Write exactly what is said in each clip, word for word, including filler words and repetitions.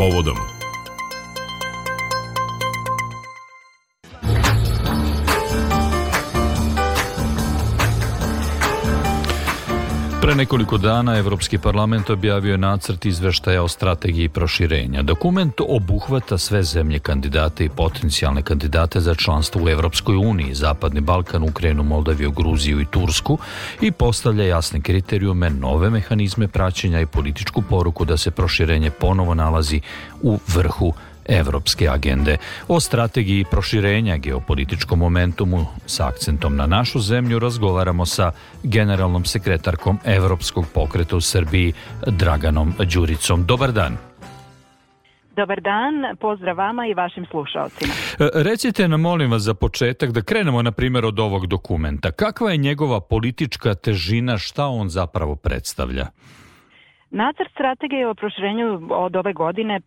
povodom. Pre nekoliko dana Evropski parlament objavio je nacrt izveštaja o strategiji proširenja. Dokument obuhvata sve zemlje kandidate i potencijalne kandidate za članstvo u Evropskoj uniji, Zapadni Balkan, Ukrajinu, Moldaviju, Gruziju i Tursku i postavlja jasne kriterijume, nove mehanizme praćenja i političku poruku da se proširenje ponovo nalazi u vrhu evropske agende. O strategiji proširenja, geopolitičkom momentumu sa akcentom na našu zemlju razgovaramo sa generalnom sekretarkom Evropskog pokreta u Srbiji Draganom Đuricom. Dobar dan. Dobar dan, pozdrav vama i vašim slušalcima. Recite nam, molim vas, za početak, da krenemo na primjer od ovog dokumenta. Kakva je njegova politička težina, šta on zapravo predstavlja? Nacrt strategije o proširenju od ove godine e,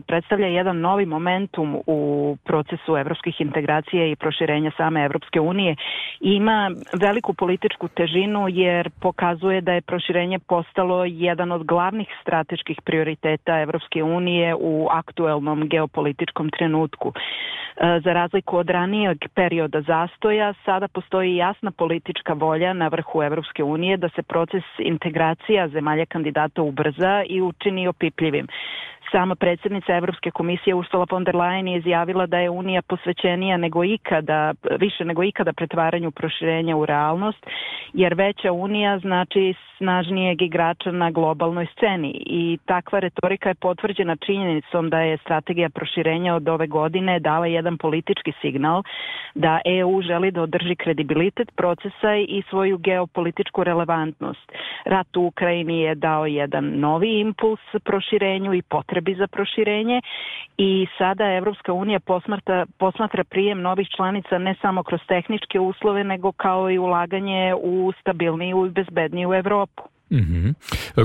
predstavlja jedan novi momentum u procesu evropskih integracija i proširenja same Evropske unije. Ima veliku političku težinu jer pokazuje da je proširenje postalo jedan od glavnih strateških prioriteta Evropske unije u aktuelnom geopolitičkom trenutku. E, za razliku od ranijeg perioda zastoja, sada postoji jasna politička volja na vrhu Evropske unije da se proces integracija zemalja kandidata ubrza i učini opipljivim. Sama predsjednica Evropske komisije Ursula von der Leyen je izjavila da je Unija posvećenija nego ikada, više nego ikada pretvaranju proširenja u realnost, jer veća Unija znači snažnijeg igrača na globalnoj sceni i takva retorika je potvrđena činjenicom da je strategija proširenja od ove godine dala jedan politički signal da E U želi da održi kredibilitet procesa i svoju geopolitičku relevantnost. Rat u Ukrajini je dao jedan novi impuls proširenju i potrebi za proširenje i sada Evropska unija posmatra, posmatra prijem novih članica ne samo kroz tehničke uslove, nego kao i ulaganje u stabilniju i bezbedniju Evropu. Mm-hmm.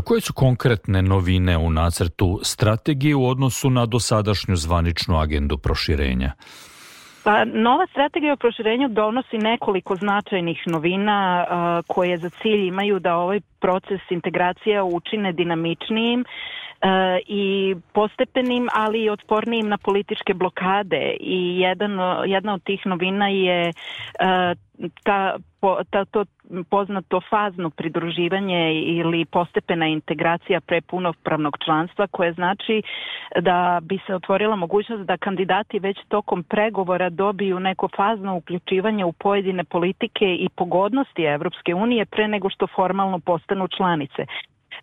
Koje su konkretne novine u nacrtu strategije u odnosu na dosadašnju zvaničnu agendu proširenja? Pa, nova strategija o proširenju donosi nekoliko značajnih novina a, koje za cilj imaju da ovaj proces integracija učine dinamičnijim a, i postepenim, ali i otpornijim na političke blokade. I jedan, jedna od tih novina je a, ta, ta, to poznato fazno pridruživanje ili postepena integracija pre punopravnog članstva, koje znači da bi se otvorila mogućnost da kandidati već tokom pregovora dobiju neko fazno uključivanje u pojedine politike i pogodnosti Evropske unije pre nego što formalno postanu članice.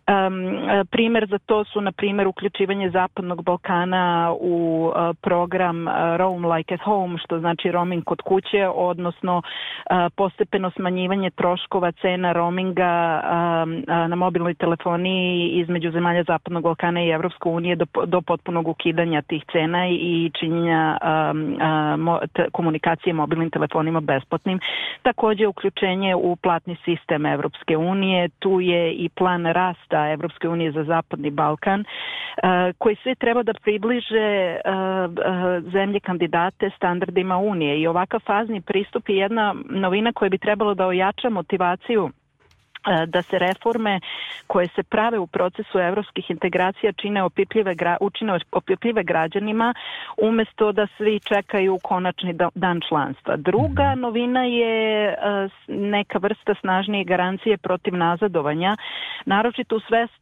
Um, primjer za to su, na primjer, uključivanje Zapadnog Balkana u uh, program uh, Roam like at home, što znači roaming kod kuće, odnosno uh, postepeno smanjivanje troškova cena roaminga um, uh, na mobilnoj telefoniji između zemalja Zapadnog Balkana i Evropske unije do, do potpunog ukidanja tih cena i činjenja um, uh, mo, te, komunikacije mobilnim telefonima besplatnim. Također uključenje u platni sistem Evropske unije, tu je i plan rasta Evropske unije za Zapadni Balkan, uh, koji sve treba da približe uh, uh, zemlje kandidate standardima Unije. I ovakav fazni pristup je jedna novina koja bi trebalo da ojača motivaciju da se reforme koje se prave u procesu evropskih integracija čine opipljive, učine opipljive građanima umjesto da svi čekaju konačni dan članstva. Druga novina je neka vrsta snažnije garancije protiv nazadovanja, naročito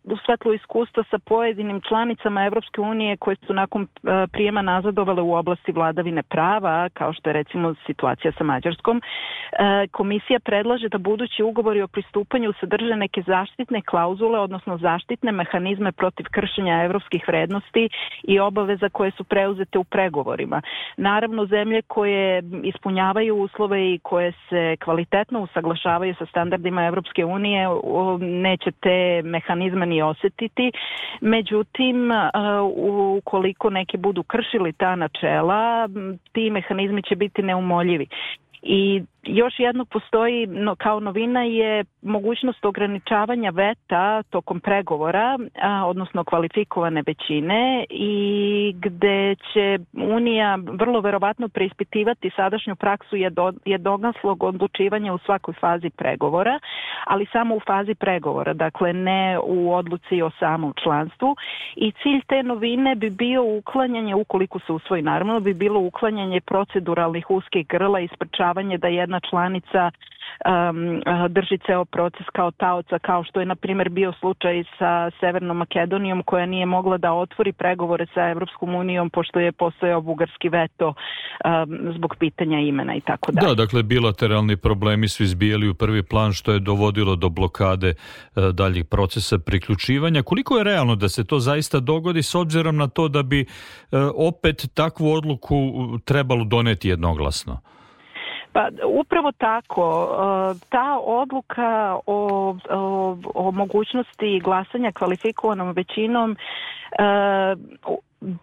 u svetlu iskustva sa pojedinim članicama Evropske unije koje su nakon prijema nazadovale u oblasti vladavine prava, kao što je recimo situacija sa Mađarskom. Komisija predlaže da budući ugovori o pristupanju sadrže neke zaštitne klauzule, odnosno zaštitne mehanizme protiv kršenja evropskih vrednosti i obaveza koje su preuzete u pregovorima. Naravno, zemlje koje ispunjavaju uslove i koje se kvalitetno usaglašavaju sa standardima Evropske unije neće te mehanizme ni osjetiti. Međutim, ukoliko neki budu kršili ta načela, ti mehanizmi će biti neumoljivi. I još jedno postoji no, kao novina je mogućnost ograničavanja veta tokom pregovora, a, odnosno kvalifikovane većine, i gde će Unija vrlo verovatno preispitivati sadašnju praksu jedno, jednoglasnog odlučivanja u svakoj fazi pregovora, ali samo u fazi pregovora, dakle ne u odluci o samom članstvu. I cilj te novine bi bio uklanjanje, ukoliko se usvoji naravno, bi bilo uklanjanje proceduralnih uskih grla i sprečavanje da jedna članica um, drži ceo proces kao taoca, kao što je na primjer bio slučaj sa Severnom Makedonijom, koja nije mogla da otvori pregovore sa Evropskom unijom pošto je postojao bugarski veto um, zbog pitanja imena i tako dalje. Da, dakle bilateralni problemi su izbijali u prvi plan, što je dovodilo do blokade uh, daljih procesa priključivanja. Koliko je realno da se to zaista dogodi, s obzirom na to da bi uh, opet takvu odluku trebalo doneti jednoglasno? Pa upravo tako, ta odluka o, o, o mogućnosti glasanja kvalifikovanom većinom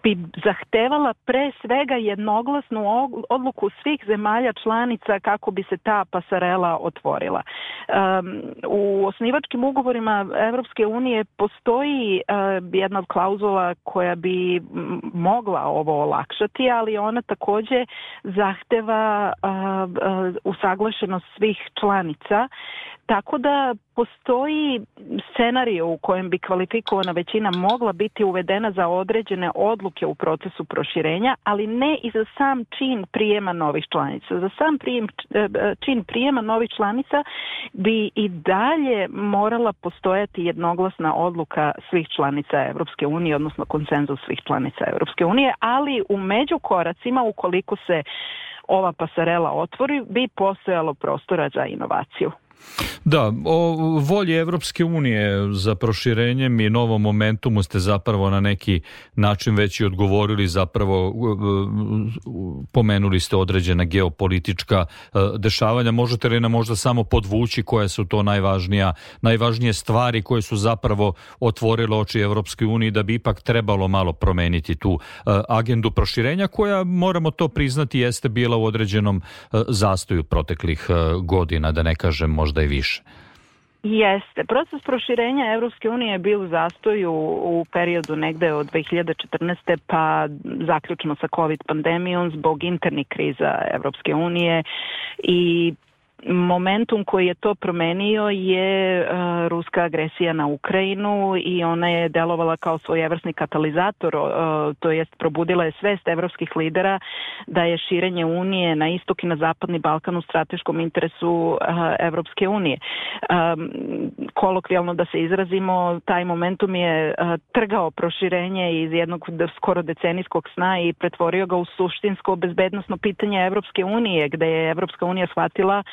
bi zahtevala pre svega jednoglasnu odluku svih zemalja članica kako bi se ta pasarela otvorila. Um, u osnivačkim ugovorima Evropske unije postoji uh, jedna od klauzula koja bi mogla ovo olakšati, ali ona takođe zahteva uh, uh, usaglašenost svih članica. Tako da postoji scenario u kojem bi kvalifikovana većina mogla biti uvedena za određene odluke u procesu proširenja, ali ne i za sam čin prijema novih članica. Za sam prijem, čin prijema novih članica bi i dalje morala postojati jednoglasna odluka svih članica Evropske unije, odnosno konsenzus svih članica Evropske unije, ali u međukoracima, ukoliko se ova pasarela otvori, bi postojalo prostora za inovaciju. Da, o volji Evropske unije za proširenjem i novom momentumu ste zapravo na neki način već i odgovorili, zapravo pomenuli ste određena geopolitička dešavanja. Možete li nam možda samo podvući koje su to najvažnija, najvažnije stvari koje su zapravo otvorile oči Evropske unije da bi ipak trebalo malo promeniti tu agendu proširenja koja, moramo to priznati, jeste bila u određenom zastoju proteklih godina, da ne kažem možda i više. Jeste. Proces proširenja Evropske unije je bio u zastoju u periodu negde od dve hiljade četrnaeste pa zaključno sa COVID pandemijom zbog internih kriza Evropske unije, i momentum koji je to promenio je uh, ruska agresija na Ukrajinu, i ona je delovala kao svojevrsni katalizator, uh, to jest probudila je svest evropskih lidera da je širenje Unije na istok i na zapadni Balkan u strateškom interesu uh, Evropske unije. Um, kolokvijalno da se izrazimo, taj momentum je uh, trgao proširenje iz jednog skoro decenijskog sna i pretvorio ga u suštinsko bezbednosno pitanje Evropske unije, gde je Evropska unija shvatila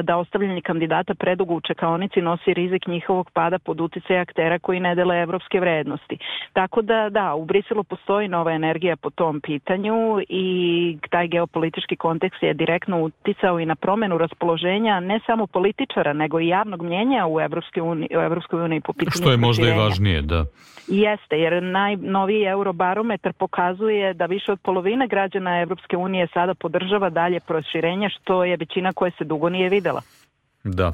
da ostavljanje kandidata predugo u čekaonici nosi rizik njihovog pada pod uticaj aktera koji ne dele evropske vrednosti. Tako da, da, u Briselu postoji nova energija po tom pitanju, i taj geopolitički kontekst je direktno uticao i na promenu raspoloženja ne samo političara, nego i javnog mnjenja u Evropskoj uniji, u Evropskoj uniji po pitanju što je možda proširenja. I važnije, da. Jeste, jer najnoviji Eurobarometar pokazuje da više od polovine građana Evropske unije sada podržava dalje proširenje, što je većina koja se dugo nije videla. Da. E,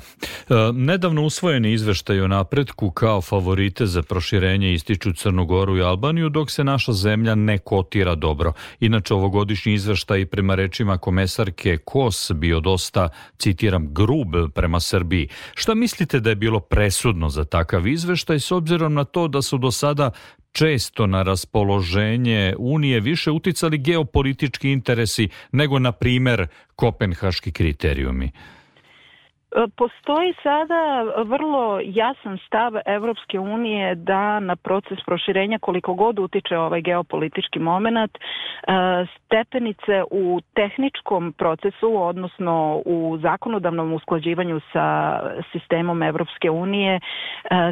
nedavno usvojeni izveštaj o napretku kao favorite za proširenje ističu Crnu Goru i Albaniju, dok se naša zemlja ne kotira dobro. Inače, ovogodišnji izveštaj prema rečima komesarke Kos bio dosta, citiram, grub prema Srbiji. Šta mislite da je bilo presudno za takav izveštaj, s obzirom na to da su do sada često na raspoloženje Unije više uticali geopolitički interesi nego, na primer, kopenhaški kriterijumi? Postoji sada vrlo jasan stav Evropske unije da na proces proširenja, koliko god utiče ovaj geopolitički moment, stepenice u tehničkom procesu, odnosno u zakonodavnom usklađivanju sa sistemom Evropske unije,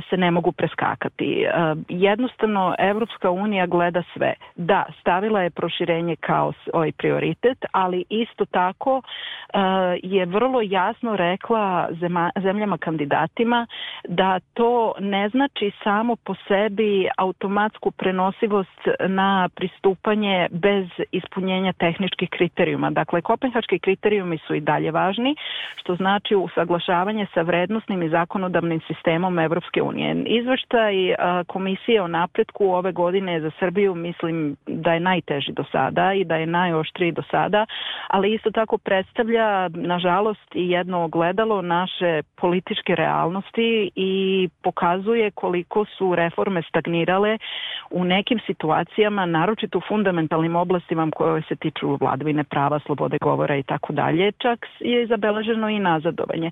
se ne mogu preskakati. Jednostavno, Evropska unija gleda sve. Da, stavila je proširenje kao svoj prioritet, ali isto tako je vrlo jasno rekla sa zema, zemljama kandidatima, da to ne znači samo po sebi automatsku prenosivost na pristupanje bez ispunjenja tehničkih kriterijuma. Dakle, kopenhaški kriterijumi su i dalje važni, što znači usaglašavanje sa vrednosnim i zakonodavnim sistemom Evropske unije. Izveštaj Komisije o napretku ove godine za Srbiju mislim da je najteži do sada i da je najoštriji do sada, ali isto tako predstavlja, nažalost, i jedno ogledalo naše političke realnosti i pokazuje koliko su reforme stagnirale u nekim situacijama, naročito u fundamentalnim oblastima koje se tiču vladavine prava, slobode govora i tako dalje. Čak je zabeleženo i nazadovanje.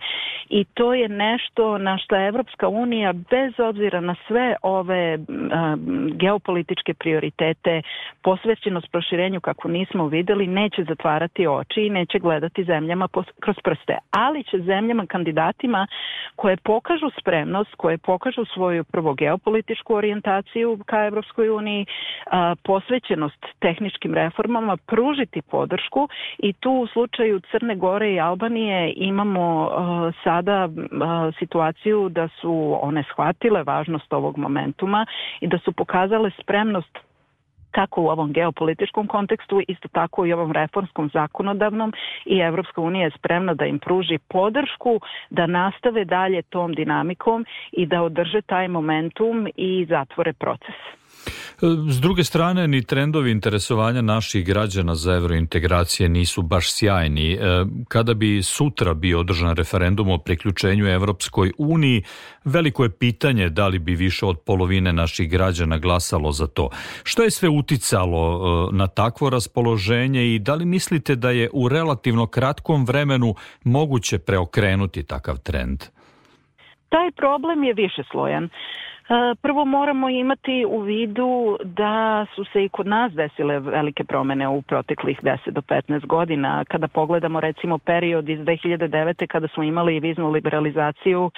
I to je nešto na što Evropska unija, bez obzira na sve ove a, geopolitičke prioritete, posvećenost proširenju kako nismo videli, neće zatvarati oči i neće gledati zemljama kroz prste. Ali će zemljama kandidatima koje pokažu spremnost, koje pokažu svoju prvo geopolitičku orijentaciju ka Evropskoj uniji, a, posvećenost tehničkim reformama, pružiti podršku i tu u slučaju Crne Gore i Albanije imamo a, sada a, situaciju da su one shvatile važnost ovog momentuma i da su pokazale spremnost kako u ovom geopolitičkom kontekstu, isto tako i ovom reformskom zakonodavnom, i Evropska unija je spremna da im pruži podršku da nastave dalje tom dinamikom i da održe taj momentum i zatvore proces. S druge strane, ni trendovi interesovanja naših građana za evrointegracije nisu baš sjajni. Kada bi sutra bio održan referendum o priključenju Evropskoj uniji, veliko je pitanje da li bi više od polovine naših građana glasalo za to. Što je sve uticalo na takvo raspoloženje i da li mislite da je u relativno kratkom vremenu moguće preokrenuti takav trend? Taj problem je višeslojan. Prvo moramo imati u vidu da su se i kod nas desile velike promene u proteklih deset do petnaest godina. Kada pogledamo recimo period iz dve hiljade devete kada smo imali viznu liberalizaciju,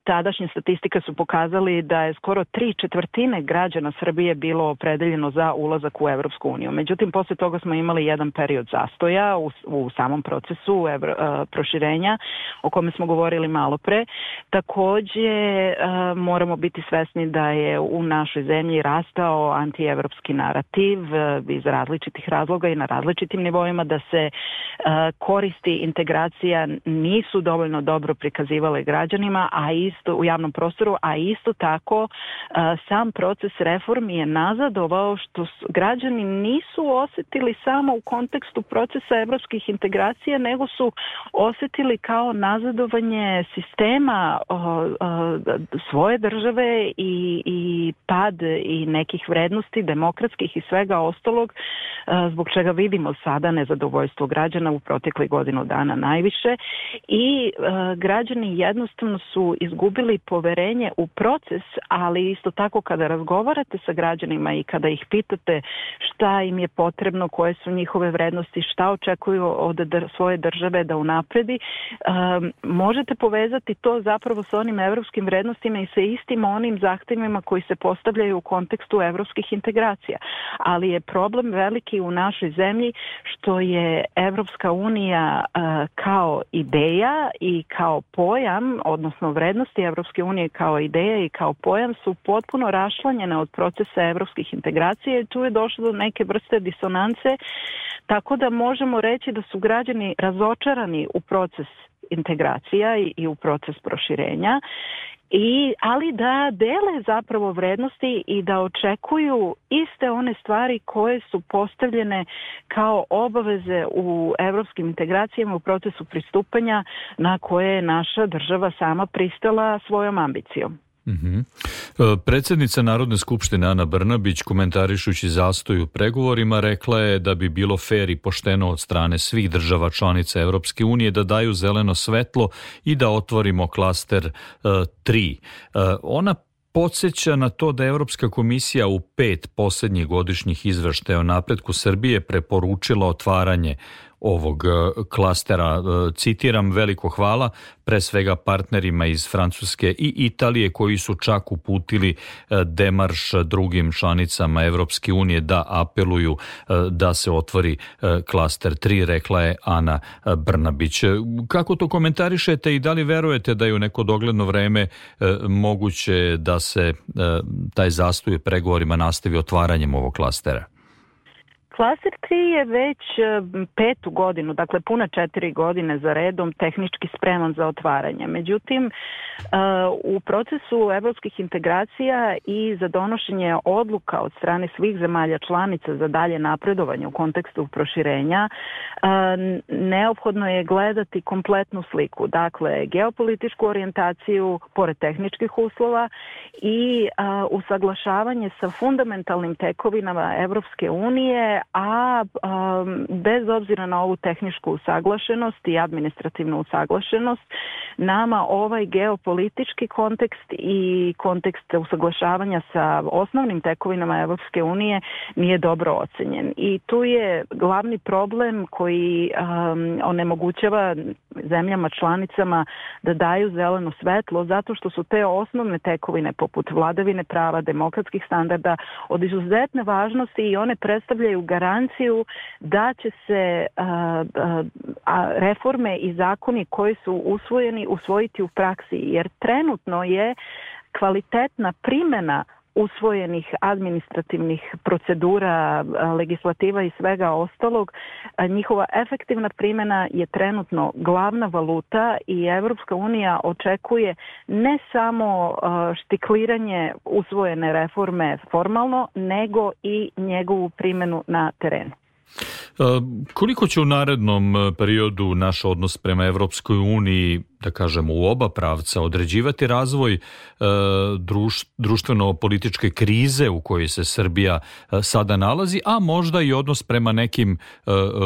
tadašnje statistike su pokazali da je skoro tri četvrtine građana Srbije bilo opredeljeno za ulazak u Evropsku uniju. Međutim, posle toga smo imali jedan period zastoja u, u samom procesu evro, proširenja o kome smo govorili malo pre. Takođe moramo biti svesni da je u našoj zemlji rastao antievropski narativ iz različitih razloga i na različitim nivoima, da se koristi integracija nisu dovoljno dobro prikazivale građanima, a isto u javnom prostoru, a isto tako sam proces reformi je nazadovao što građani nisu osetili samo u kontekstu procesa evropskih integracija, nego su osetili kao nazadovanje sistema svoje države I, i pad i nekih vrednosti demokratskih i svega ostalog, zbog čega vidimo sada nezadovoljstvo građana u proteklih godinu dana najviše i uh, građani jednostavno su izgubili poverenje u proces, ali isto tako kada razgovarate sa građanima i kada ih pitate šta im je potrebno, koje su njihove vrednosti, šta očekuju od dr- svoje države da unapredi, um, možete povezati to zapravo sa onim evropskim vrednostima i sa istim onim zahtevima koji se postavljaju u kontekstu evropskih integracija. Ali je problem veliki u našoj zemlji što je Evropska unija uh, kao ideja i kao pojam, odnosno vrednosti Evropske unije kao ideja i kao pojam su potpuno rašlanjene od procesa evropskih integracija i tu je došlo do neke vrste disonance, tako da možemo reći da su građani razočarani u proces integracija i, i u proces proširenja. I, ali da dele zapravo vrednosti i da očekuju iste one stvari koje su postavljene kao obaveze u evropskim integracijama u procesu pristupanja na koje je naša država sama pristala svojom ambicijom. Mm-hmm. Predsjednica Narodne skupštine Ana Brnabić, komentarišući zastoj u pregovorima, rekla je da bi bilo fer i pošteno od strane svih država članica Evropske unije da daju zeleno svetlo i da otvorimo klaster tri. Ona podsjeća na to da je Evropska komisija u pet posljednjih godišnjih izveštaja o napretku Srbije preporučila otvaranje ovog klastera. Citiram, veliko hvala pre svega partnerima iz Francuske i Italije koji su čak uputili demarš drugim članicama Evropske unije da apeluju da se otvori klaster tri, rekla je Ana Brnabić. Kako to komentarišete i da li verujete da je u neko dogledno vreme moguće da se taj zastoj pregovorima nastavi otvaranjem ovog klastera? Klaster tri je već petu godinu, dakle puna četiri godine za redom tehnički spreman za otvaranje. Međutim, u procesu evropskih integracija i za donošenje odluka od strane svih zemalja članica za dalje napredovanje u kontekstu proširenja, neophodno je gledati kompletnu sliku. Dakle, geopolitičku orijentaciju pored tehničkih uslova i usaglašavanje sa fundamentalnim tekovinama Evropske unije, a um, bez obzira na ovu tehničku usaglašenost i administrativnu usaglašenost, nama ovaj geopolitički kontekst i kontekst usaglašavanja sa osnovnim tekovinama Evropske unije nije dobro ocenjen. I tu je glavni problem koji um, onemogućava zemljama članicama da daju zeleno svetlo, zato što su te osnovne tekovine poput vladavine prava, demokratskih standarda od izuzetne važnosti i one predstavljaju garanciju da će se a, a, reforme i zakoni koji su usvojeni usvojiti u praksi, jer trenutno je kvalitetna primjena usvojenih administrativnih procedura, legislativa i svega ostalog, njihova efektivna primjena je trenutno glavna valuta i Evropska unija očekuje ne samo štikliranje usvojene reforme formalno, nego i njegovu primjenu na terenu. Koliko će u narednom periodu naš odnos prema Evropskoj uniji, da kažemo u oba pravca, određivati razvoj druš, društveno-političke krize u kojoj se Srbija sada nalazi, a možda i odnos prema nekim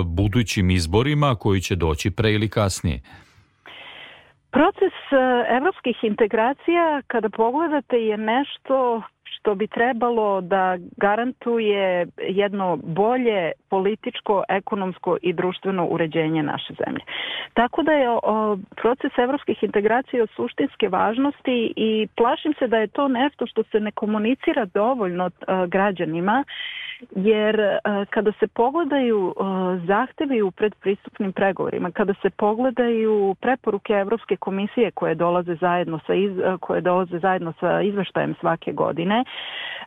budućim izborima koji će doći pre ili kasnije? Proces evropskih integracija, kada pogledate, je nešto što bi trebalo da garantuje jedno bolje političko, ekonomsko i društveno uređenje naše zemlje. Tako da je o, proces evropskih integracija od suštinske važnosti i plašim se da je to nešto što se ne komunicira dovoljno a, građanima, jer a, kada se pogledaju a, zahtevi u predpristupnim pregovorima, kada se pogledaju preporuke Evropske komisije koje dolaze zajedno sa, iz, koje dolaze zajedno sa izveštajem svake godine,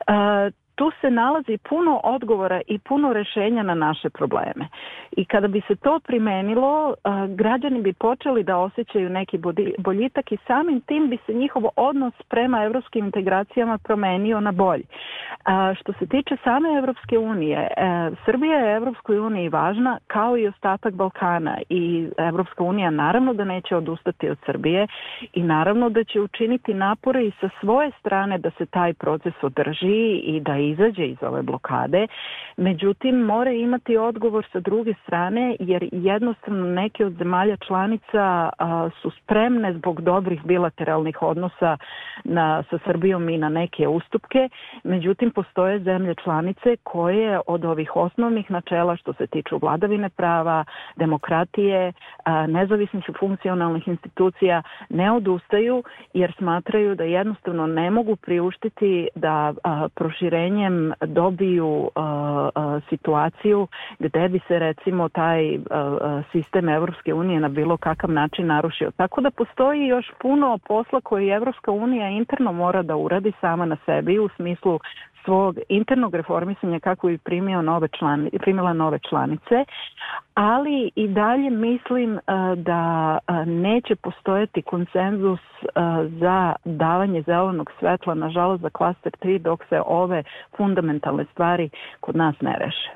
Uh, tu se nalazi puno odgovora i puno rješenja na naše probleme. I kada bi se to primenilo, uh, građani bi počeli da osjećaju neki boljitak i samim tim bi se njihov odnos prema evropskim integracijama promenio na bolji. Uh, što se tiče same Evropske unije, uh, Srbija je Evropskoj uniji važna kao i ostatak Balkana i Evropska unija naravno da neće odustati od Srbije i naravno da će učiniti napore i sa svoje strane da se taj proces održi i da izađe iz ove blokade. Međutim, mora imati odgovor sa druge strane, jer jednostavno neke od zemalja članica a, su spremne zbog dobrih bilateralnih odnosa na, sa Srbijom i na neke ustupke. Međutim, postoje zemlje članice koje od ovih osnovnih načela što se tiču vladavine prava, demokratije, a, nezavisnih i funkcionalnih institucija ne odustaju, jer smatraju da jednostavno ne mogu priuštiti da a, proširenje dobiju uh, uh, situaciju gde bi se recimo taj uh, sistem Evropske unije na bilo kakav način narušio. Tako da postoji još puno posla koji Evropska unija interno mora da uradi sama na sebi u smislu svog internog reformisanja kako bi primio nove člani, primila nove članice, ali i dalje mislim uh, da uh, neće postojati konsenzus uh, za davanje zelenog svetla, nažalost za klaster tri, dok se ove fundamentalne stvari kod nas ne reše.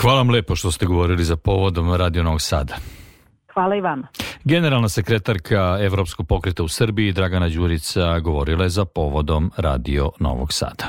Hvala vam lepo što ste govorili za povodom Radio Novog Sada. Hvala i vama. Generalna sekretarka Evropskog pokreta u Srbiji Dragana Đurica govorila je za povodom Radio Novog Sada.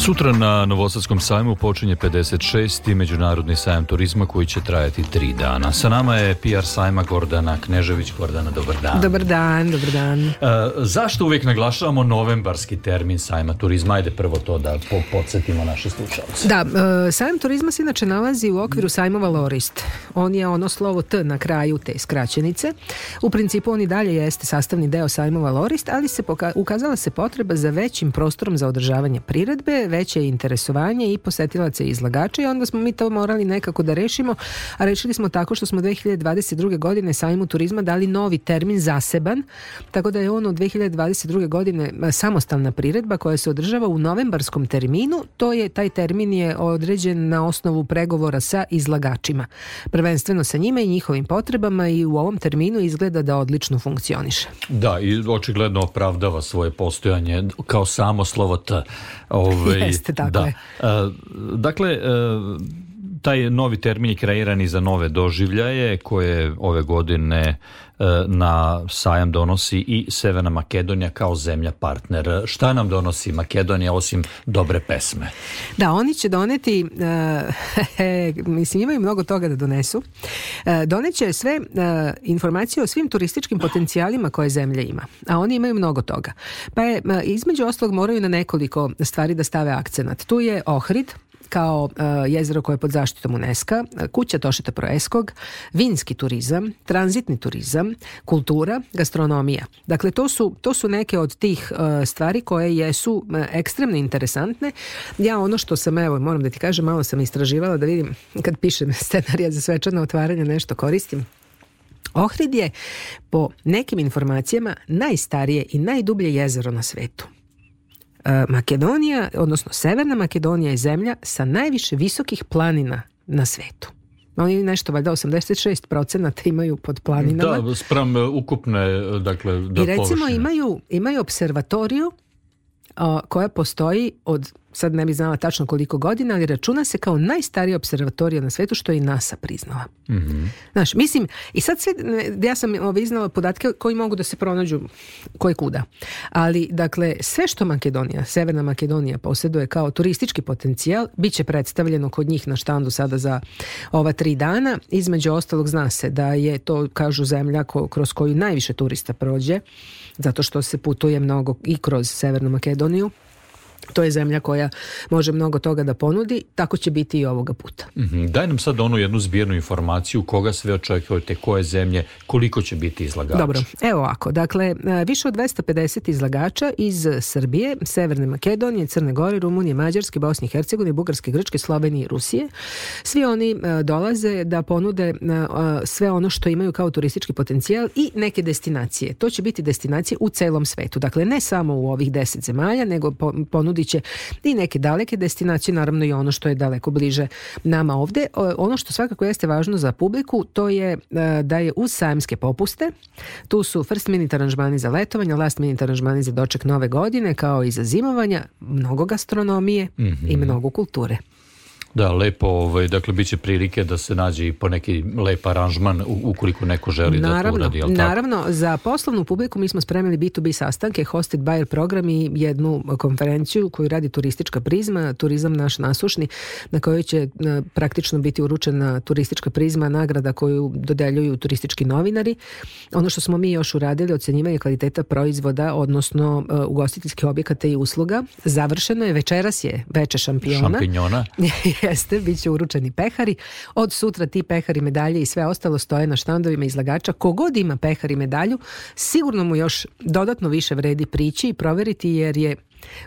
Sutra na Novosadskom sajmu počinje pedeset šesti Međunarodni sajam turizma koji će trajati tri dana. Sa nama je P R sajma Gordana Knežević. Gordana, dobar dan. Dobar dan, dobar dan. E, zašto uvijek naglašavamo novembarski termin sajma turizma? Ajde prvo to da po- podsjetimo naše slušalce. Da, e, sajam turizma se inače nalazi u okviru sajmova Lorist. On je ono slovo T na kraju te skraćenice. U principu on i dalje jeste sastavni deo sajmova Lorist, ali se poka- ukazala se potreba za većim prostorom za održavanje priredbe, veće interesovanje i posetilaca i izlagača i onda smo mi to morali nekako da rešimo, a rešili smo tako što smo dve hiljade dvadeset druge godine sajmu turizma dali novi termin zaseban, tako da je on od dve hiljade dvadeset druge godine samostalna priredba koja se održava u novembarskom terminu. To je, taj termin je određen na osnovu pregovora sa izlagačima. Prvenstveno sa njima i njihovim potrebama i u ovom terminu izgleda da odlično funkcioniše. Da, i očigledno opravdava svoje postojanje kao samo slovo T. Ove, Jeste, tako da. je. E, dakle, e, taj novi termin je kreiran i za nove doživljaje koje ove godine e, na sajam donosi i Severna Makedonija kao zemlja partner. Šta nam donosi Makedonija osim dobre pesme? Da, oni će doneti, uh, mislim imaju mnogo toga da donesu, uh, doneće sve uh, informacije o svim turističkim potencijalima koje zemlja ima, a oni imaju mnogo toga. Pa je, uh, između ostalog moraju na nekoliko stvari da stave akcenat. Tu je Ohrid, kao uh, jezero koje je pod zaštitom UNESCO, kuća Tošeta Proeskog, vinski turizam, tranzitni turizam, kultura, gastronomija. Dakle, to su, to su neke od tih uh, stvari koje jesu uh, ekstremno interesantne. Ja ono što sam, evo, moram da ti kažem, malo sam istraživala da vidim kad pišem scenarija za svečano otvaranje nešto koristim. Ohrid je po nekim informacijama najstarije i najdublje jezero na svetu. Makedonija, odnosno Severna Makedonija je zemlja sa najviše visokih planina na svetu. Oni nešto, valjda osamdeset šest procenata imaju pod planinama. Da, spram ukupne, dakle, da i recimo površine. imaju, imaju observatoriju a, koja postoji od, sad ne bih znala tačno koliko godina, ali računa se kao najstarija observatorija na svetu, što je i NASA priznala. Mm-hmm. Znaš, mislim, i sad sve, ja sam iznala podatke koji mogu da se pronađu koje kuda. Ali, dakle, sve što Makedonija, Severna Makedonija posjeduje kao turistički potencijal, bit će predstavljeno kod njih na štandu sada za ova tri dana. Između ostalog zna se da je to, kažu, zemlja ko, kroz koju najviše turista prođe, zato što se putuje mnogo i kroz Severnu Makedoniju. To je zemlja koja može mnogo toga da ponudi, tako će biti i ovoga puta. Mm-hmm. Daj nam sad onu jednu zbirnu informaciju, koga sve očekujete, koje zemlje, koliko će biti izlagača. Dobro, evo ovako, dakle, više od dvesta pedeset izlagača iz Srbije, Severne Makedonije, Crne Gore, Rumunije, Mađarske, Bosne i Hercegovine, Bugarske, Grčke, Slovenije i Rusije. Svi oni dolaze da ponude sve ono što imaju kao turistički potencijal i neke destinacije. To će biti destinacije u celom svetu, dakle ne samo u ovih deset zemalja, nego ponudit će i neke daleke destinacije, naravno i ono što je daleko bliže nama ovde. Ono što svakako jeste važno za publiku, to je da je uz sajamske popuste, tu su first minute aranžmani za letovanje, last minute aranžmani za doček nove godine, kao i za zimovanja, mnogo gastronomije mm-hmm. i mnogo kulture. Da, lepo, ovaj, dakle, bit će prilike da se nađe i po neki lep aranžman u, ukoliko neko želi naravno, da to uradi, jel tako? Naravno, za poslovnu publiku mi smo spremili bi tu bi sastanke, hosted buyer program i jednu konferenciju koju radi Turistička prizma, turizam naš nasušni, na kojoj će praktično biti uručena Turistička prizma, nagrada koju dodeljuju turistički novinari. Ono što smo mi još uradili, ocenjivanje kvaliteta proizvoda, odnosno uh, ugostiteljskih objekata i usluga, završeno je, večeras je veče šampiona. Šampinjona. Jeste, bit će uručeni pehari. Od sutra ti pehari, medalje i sve ostalo stoje na štandovima izlagača. Kogod ima pehar i medalju, sigurno mu još dodatno više vredi prići i proveriti, jer je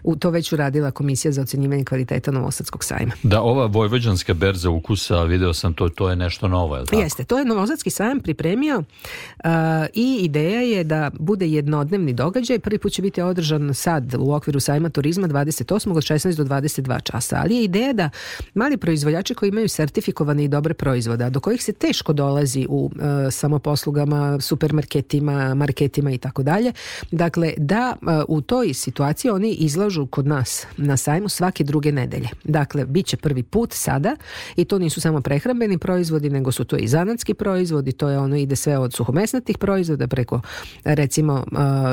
u to već uradila Komisija za ocenjivanje kvaliteta Novosadskog sajma. Da, ova vojvođanska berza ukusa, video sam to, to je nešto novo, je li tako? Jeste, to je Novosadski sajam pripremio uh, i ideja je da bude jednodnevni događaj. Prvi put će biti održan sad u okviru sajma turizma dvadeset osmog od šesnaest do dvadeset dva časa, ali je ideja da mali proizvođači koji imaju sertifikovane i dobre proizvode, do kojih se teško dolazi u uh, samoposlugama, supermarketima, marketima i tako dalje, dakle da uh, u toj situaciji oni izlažu kod nas na sajmu svake druge nedelje. Dakle, bit će prvi put sada i to nisu samo prehrambeni proizvodi, nego su to i zanatski proizvodi, to je ono, ide sve od suhomesnatih proizvoda preko recimo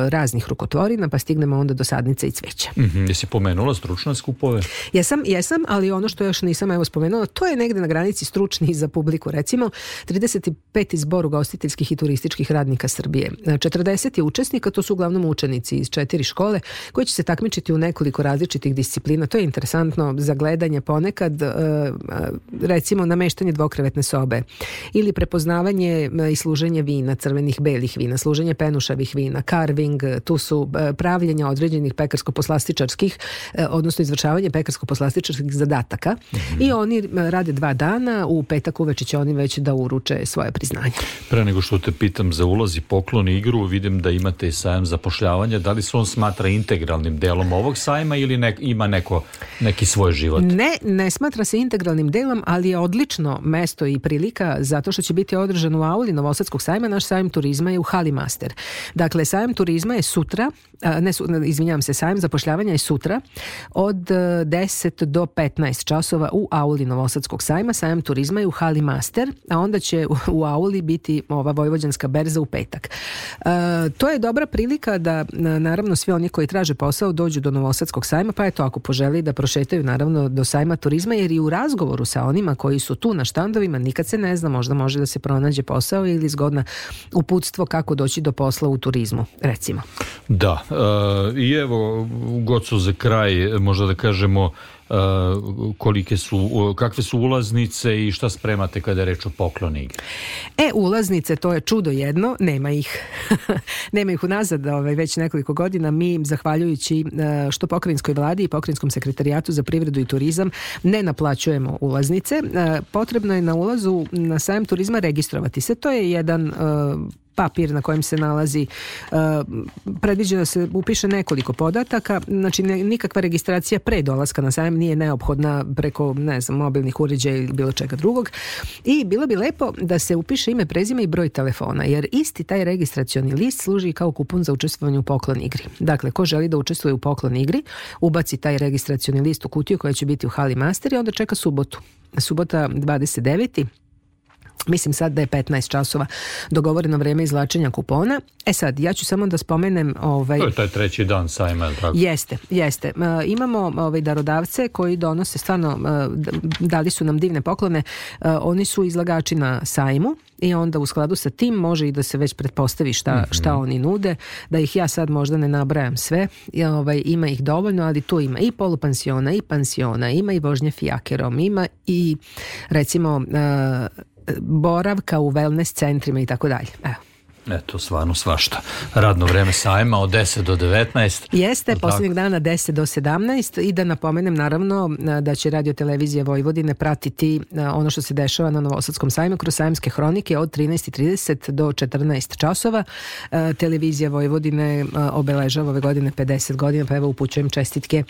raznih rukotvorina, pa stignemo onda do sadnica i cveća. Mm-hmm. Jesi pomenula stručne skupove? Jesam, jesam, ali ono što još nisam evo spomenula, to je negde na granici stručni za publiku. Recimo, trideset peti zbor ugostiteljskih i turističkih radnika Srbije. četrdeset je učesnika, to su uglavnom učenici iz četiri škole koji će se takmičiti u nekoliko različitih disciplina. To je interesantno za gledanje ponekad, recimo nameštanje dvokrevetne sobe ili prepoznavanje i služenje vina, crvenih, belih vina, služenje penušavih vina, carving, tu su pravljenja određenih pekarsko-poslastičarskih, odnosno izvršavanje pekarsko-poslastičarskih zadataka. Mm-hmm. I oni rade dva dana, u petak uveče će oni već da uruče svoje priznanje. Pre nego što te pitam za ulaz i poklon i igru, vidim da imate i sajam zapošljavanja. Da li se on smatra integralnim delom ovog sajma ili ne, ima neko, neki svoj život? Ne, ne smatra se integralnim delom, ali je odlično mesto i prilika zato što će biti održan u auli Novosadskog sajma. Naš sajam turizma je u hali Master. Dakle, sajam turizma je sutra, ne, izvinjavam se, sajam zapošljavanja je sutra od deset do petnaest časova u auli Novosadskog sajma. Sajam turizma je u hali Master, a onda će u, u auli biti ova Vojvođanska berza u petak. E, to je dobra prilika da naravno svi oni koji traže posao dođu do Novosadskog sajma, pa eto ako poželi da prošetaju naravno do sajma turizma, jer i u razgovoru sa onima koji su tu na štandovima nikad se ne zna, možda može da se pronađe posao ili zgodna uputstvo kako doći do posla u turizmu, recimo. Da, e, i evo Goco za kraj, možda da kažemo Uh, kolike su, uh, kakve su ulaznice i šta spremate kada je reč o poklonu igri? E, ulaznice, to je čudo jedno, nema ih. Nema ih unazad ovaj, već nekoliko godina. Mi, zahvaljujući uh, što pokrajinskoj vladi i pokrajinskom sekretarijatu za privredu i turizam, ne naplaćujemo ulaznice. Uh, potrebno je na ulazu na sajam turizma registrovati se. To je jedan uh, papir na kojem se nalazi, uh, predviđeno da se upiše nekoliko podataka, znači ne, nikakva registracija pre dolaska na sajam nije neophodna preko, ne znam, mobilnih uređaja ili bilo čega drugog. I bilo bi lepo da se upiše ime, prezime i broj telefona, jer isti taj registracioni list služi kao kupon za učestvovanje u poklon igri. Dakle, ko želi da učestvuje u poklon igri, ubaci taj registracioni list u kutiju koja će biti u hali Master i onda čeka subotu. Subota dvadeset deveti Mislim sad da je petnaest časova dogovoreno vreme izvlačenja kupona. E sad, ja ću samo da spomenem... Ovaj, to je taj treći dan sajma, je li tako? Jeste, jeste. E, imamo ovaj, darodavce koji donose stvarno, e, dali su nam divne poklone. E, oni su izlagači na sajmu i onda u skladu sa tim može i da se već pretpostavi šta, mm-hmm. šta oni nude. Da ih ja sad možda ne nabrajam sve. I, ovaj, ima ih dovoljno, ali tu ima i polupansiona, i pansiona, ima i vožnje fijakerom, ima i recimo... E, boravka u wellness centrima i tako dalje. Evo. Eto, stvarno svašta. Radno vreme sajma od deset do devetnaest. Jeste, posljednjeg dana deset do sedamnaest i da napomenem naravno da će Radio Televizija Vojvodine pratiti ono što se dešava na Novosadskom sajmu kroz sajamske hronike od trinaest i trideset do četrnaest časova. Televizija Vojvodine obeležava ove godine pedeset godina, pa evo upućujem čestitke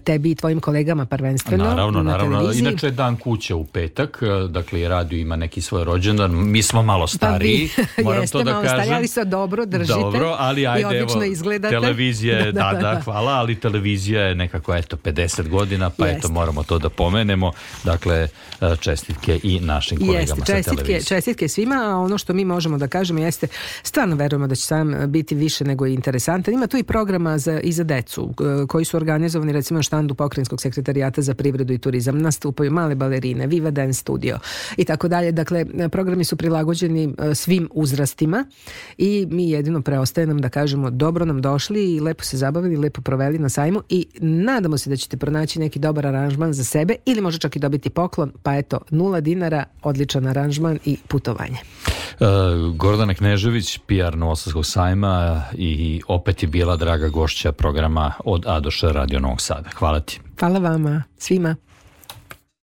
tebi i tvojim kolegama prvenstveno. Naravno, na naravno. televiziji. Inače je dan kuće u petak, dakle radio ima neki svoj rođendan. Mi smo malo stariji, moram to da malo kažem. Stari, ali se dobro držite. Dobro, ali ajde, i odlično evo, izgledate. televizija je, da, da, da, da, da, hvala, ali televizija je nekako, eto, pedeset godina, pa Jeste. eto, moramo to da pomenemo. Dakle, čestitke i našim kolegama jeste, sa čestitke, televizije. čestitke svima, a ono što mi možemo da kažemo jeste, stvarno verujemo da će sam biti više nego interesantan. Ima tu i programa za, i za decu, koji su organizovani recimo na štandu Pokrajinskog sekretarijata za privredu i turizam. Nastupaju male balerine, Viva Dance Studio i tako dalje. Dakle, programi su prilagođeni svim uzrastima i mi jedino preostaje nam da kažemo dobro nam došli i lepo se zabavili, lepo proveli na sajmu i nadamo se da ćete pronaći neki dobar aranžman za sebe ili može čak i dobiti poklon, pa eto, nula dinara, odličan aranžman i putovanje. Uh, Gordana Knežević, P R Novosadskog sajma i opet je bila draga gošća programa od A do Š Radio Novog Sada. Hvala ti. Hvala vama, svima.